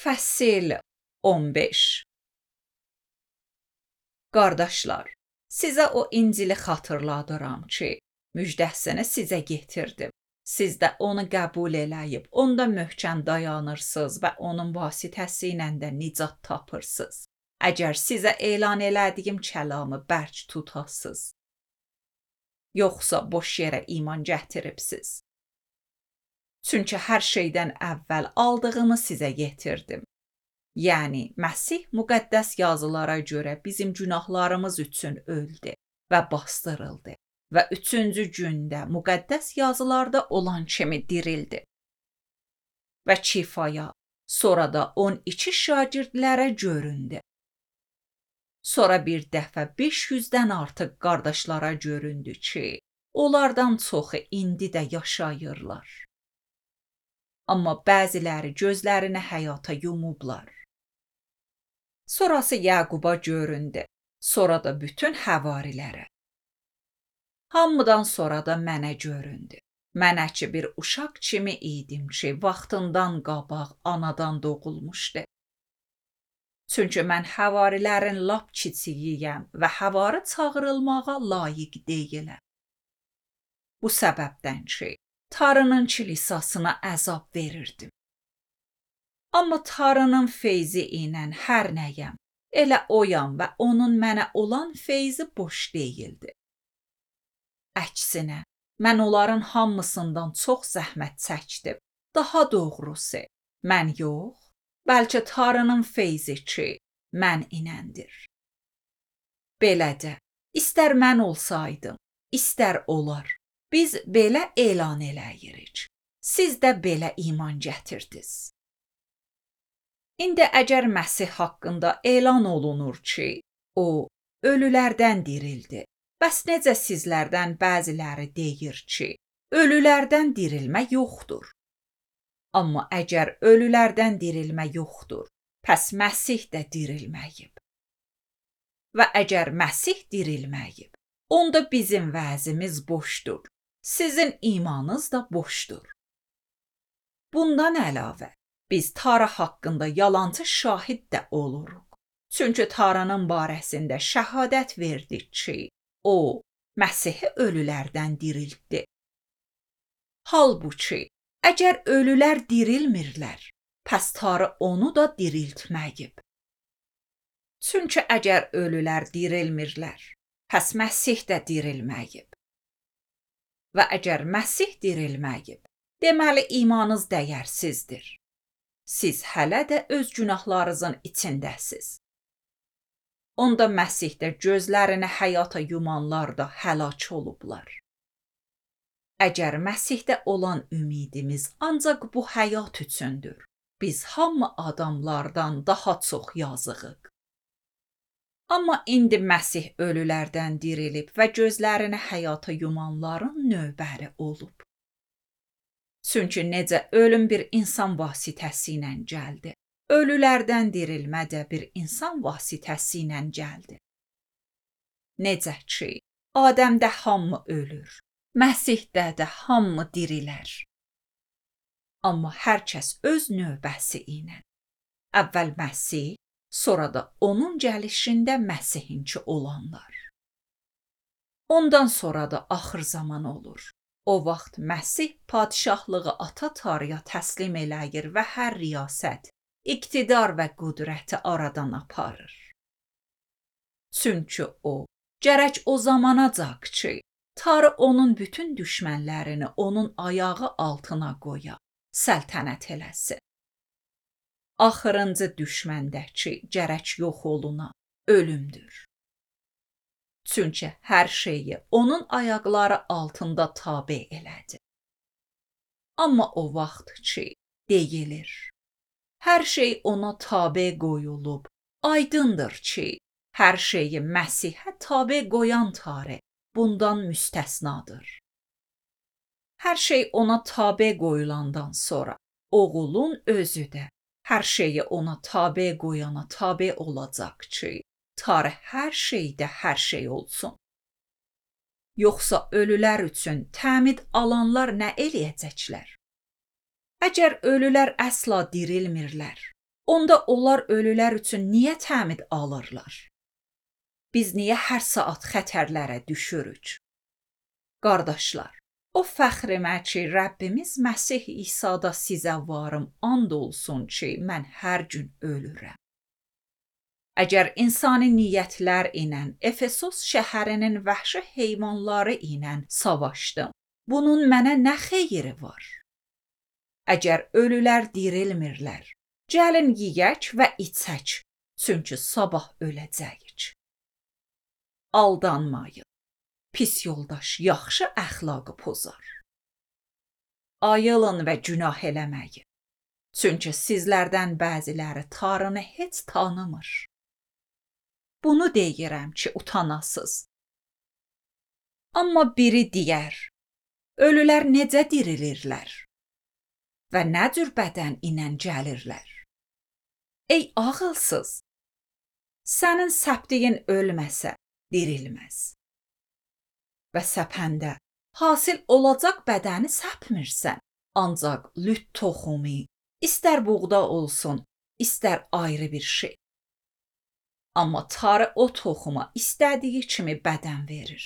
Fəsil 15. Qardaşlar, sizə o İncili xatırladıram ki, müjdəsini sizə getirdim. Siz də onu qəbul eləyib, onda möhkəm dayanırsınız və onun vasitəsilə də nicat tapırsınız. Əgər sizə elan elədiyim kəlamı bərk tutasınız, yoxsa boş yerə iman gətiribsiz. Çünki hər şeydən əvvəl aldığımı sizə getirdim. Yəni, Məsih müqəddəs yazılara görə bizim günahlarımız üçün öldü və bastırıldı və 3-cü gündə müqəddəs yazılarda olan kimi dirildi. Və Kifaya, sonra da 12 şagirdlərə göründü. Sonra bir dəfə 500-dən artıq qardaşlara göründü ki, onlardan çoxu indi də yaşayırlar. Amma bəziləri gözlərini həyata yumublar. Sonrası Yaquba göründü, sonra da bütün həvarilərə. Hamıdan sonra da mənə göründü. Mənə ki bir uşaq kimi idim ki, vaxtından qabaq anadan doğulmuşdu. Çünki mən həvarilərin lap kiçiyiyəm və həvari çağırılmağa layiq deyiləm. Bu səbəbdən ki, Tanrının kilisasına əzab verirdim. Amma Tanrının feyzi ilə hər nəyəm, elə oyam və onun mənə olan feyzi boş deyildi. Əksinə, mən onların hamısından çox zəhmət çəkdim. Daha doğrusu, mən yox, bəlkə Tanrının feyzi ki, mən inəndir. Belə də, istər mən olsaydım, istər olar, biz belə elan eləyirik. Siz də belə iman gətirdiniz. İndi əgər Məsih haqqında elan olunur ki, o, ölülərdən dirildi, bəs necə sizlərdən bəziləri deyir ki, ölülərdən dirilmə yoxdur? Amma əgər ölülərdən dirilmə yoxdur, pəs Məsih də dirilməyib. Və əgər Məsih dirilməyib, onda bizim vəzimiz boşdur, sizin imanınız da boşdur. Bundan əlavə, biz Tanrı haqqında yalancı şahid də oluruq. Çünki Tanrının barəsində şəhadət verdik ki, o, Məsihi ölülərdən diriltdi. Halbuki, əgər ölülər dirilmirlər, pəs Tanrı onu da diriltməyib. Çünki əgər ölülər dirilmirlər, pəs Məsih də dirilməyib. Və əgər Məsih dirilməyib, deməli imanınız dəyərsizdir. Siz hələ də öz günahlarınızın içindəsiz. Onda Məsihdə gözlərini həyata yumanlar da həlak olublar. Əgər Məsihdə olan ümidimiz ancaq bu həyat üçündür, biz hamı adamlardan daha çox yazığıq. Amma indi Məsih ölülərdən dirilib və gözlərini həyata yumanların növbəri olub. Çünki necə ölüm bir insan vasitəsilə gəldi, ölülərdən dirilmə də bir insan vasitəsilə gəldi. Necə ki, Adəmdə hamı ölür, Məsihdə də hamı dirilər. Amma hər kəs öz növbəsi ilə. Əvvəl Məsih, sonra da onun gəlişində Məsihinki olanlar. Ondan sonra da axır zaman olur. O vaxt Məsih padişahlığı ata Tanrıya təslim eləyir və hər riyasət, iqtidar və qüdrəti aradan aparır. Çünki o, gərək o zamanacaq ki, Tanrı onun bütün düşmənlərini onun ayağı altına qoya, səltənət eləsin. Axırıncı düşməndəki gərək yox oluna ölümdür. Çünki hər şeyi onun ayaqları altında tabe elədi. Amma o vaxt ki, deyilir, hər şey ona tabe qoyulub, aydındır ki, hər şeyi Məsihə tabe qoyan Tanrı bundan müstəsnadır. Hər şey ona tabe qoyulandan sonra, oğulun özü də hər şeyi ona tabe qoyana tabe olacaq ki, Tanrı hər şeydə hər şey olsun. Yoxsa ölülər üçün təmid alanlar nə eləyəcəklər? Əgər ölülər əsla dirilmirlər, Onda onlar ölülər üçün niyə təmid alırlar? Biz niyə hər saat xətərlərə düşürük? Qardaşlar, o fəxrimə ki, Rəbbimiz Məsih İsa'da sizə varım, and olsun ki, mən hər gün ölürəm. Əgər insani niyyətlər ilə Efesos şəhərinin vəhşi heyvanları ilə savaşdım, bunun mənə nə xeyri var? Əgər ölülər dirilmirlər, gəlin yeyək və içək, çünki sabah öləcəyik. Aldanmayın. Pis yoldaş yaxşı əxlaqı pozar. Ayılın və günah eləməyin. Çünki sizlərdən bəziləri Tanrını heç tanımır. Bunu deyirəm ki, utanasız. Amma biri deyər, ölülər necə dirilirlər və nə cür bədən ilə gəlirlər? Ey ağılsız, sənin səpdiyin ölməsə, dirilməz. Və səpəndə hasil olacaq bədəni səpmirsən, ancaq lüt toxumu, istər buğda olsun, istər ayrı bir şey. Amma Tanrı o toxuma istədiyi kimi bədən verir.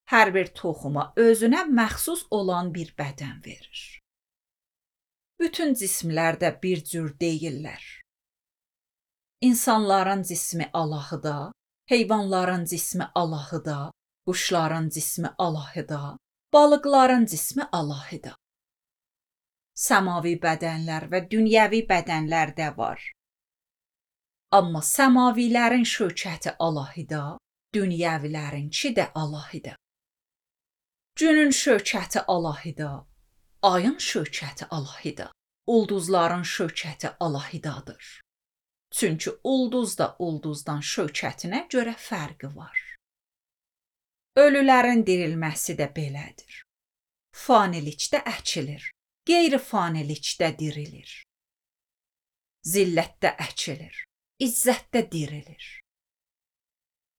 Hər bir toxuma özünə məxsus olan bir bədən verir. Bütün cismlər də bir cür deyillər. İnsanların cismi alahıda, heyvanların cismi alahıda, quşların cismi alahıda, balıqların cismi alahıda. Səmavi bədənlər və dünyəvi bədənlər də var. Amma səmavilərin şökəti alahıda, dünyəvilərinki də alahıda. Günün şökəti alahıda, ayın şökəti alahıda, ulduzların şökəti alahıdadır. Çünki ulduz da ulduzdan şökətinə görə fərqi var. Ölülərin dirilməsi də belədir. Fanilikdə əkilir, qeyri-fanilikdə dirilir. Zillətdə əkilir, izzətdə dirilir.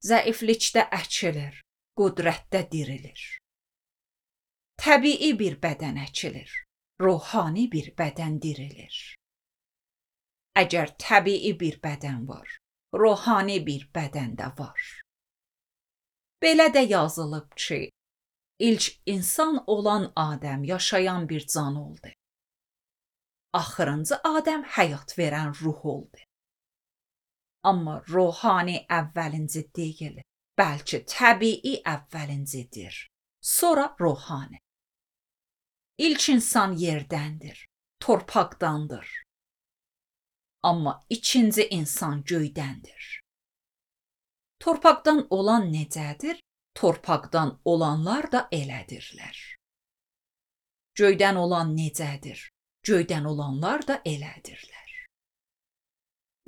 Zəiflikdə əkilir, qüdrətdə dirilir. Təbii bir bədən əkilir, ruhani bir bədən dirilir. Əgər təbii bir bədən var, ruhani bir bədən də var. Belə də yazılıb ki, ilk insan olan Adəm yaşayan bir can oldu. Axırıncı Adəm həyat verən ruh oldu. Amma ruhani əvvəlinci deyil, bəlkə təbii əvvəlincidir, sonra ruhani. İlk insan yerdəndir, torpaqdandır. Amma ikinci insan göydəndir. Torpaqdan olan necədir? Torpaqdan olanlar da elədirlər. Göydən olan necədir? Göydən olanlar da elədirlər.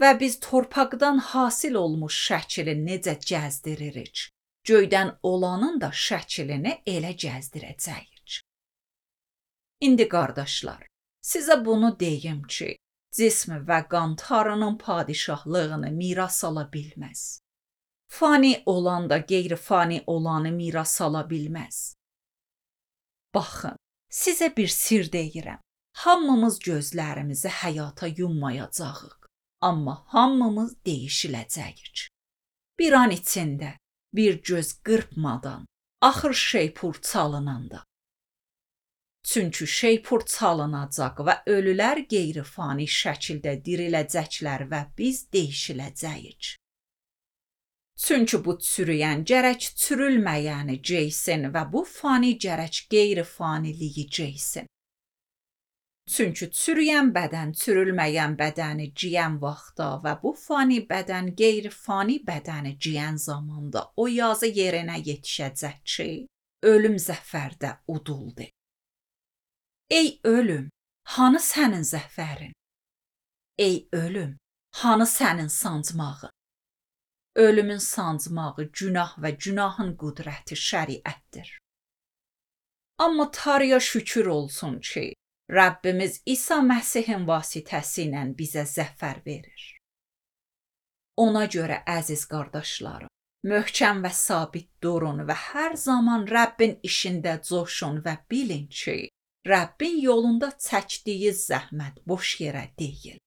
Və biz torpaqdan hasil olmuş şəkili necə gəzdiririk? Göydən olanın da şəklini elə gəzdirəcəyik. İndi qardaşlar, sizə bunu deyim ki, cism və qan Tanrının padişahlığını miras ala bilməz. Fani olan da qeyri-fani olanı miras ala bilməz. Baxın, sizə bir sir deyirəm. Hamımız gözlərimizi həyata yummayacağıq, amma hamımız dəyişiləcəyik. Bir an içində, bir göz qırpmadan, axır şeypur çalınanda. Çünki şeypur çalınacaq və ölülər qeyri-fani şəkildə diriləcəklər və biz dəyişiləcəyik. Çünki bu çürüyən gərək çürülməyəni geysin və bu fani gərək qeyri-faniliyi geysin. Çünki çürüyən bədən çürülməyən bədəni giyən vaxtda və bu fani bədən qeyri-fani bədəni giyən zamanda o yazı yerinə yetişəcək ki, ölüm zəfərdə uduldu. Ey ölüm, hanı sənin zəfərin? Ey ölüm, hanı sənin sancmağın? Ölümün sancmağı günah və günahın qüdrəti şəriətdir. Amma Tanrıya şükür olsun ki, Rəbbimiz İsa Məsihin vasitəsi ilə bizə zəfər verir. Ona görə əziz qardaşlarım, möhkəm və sabit durun və hər zaman Rəbbin işində coşun və bilin ki, Rəbbin yolunda çəkdiyi zəhmət boş yerə deyil.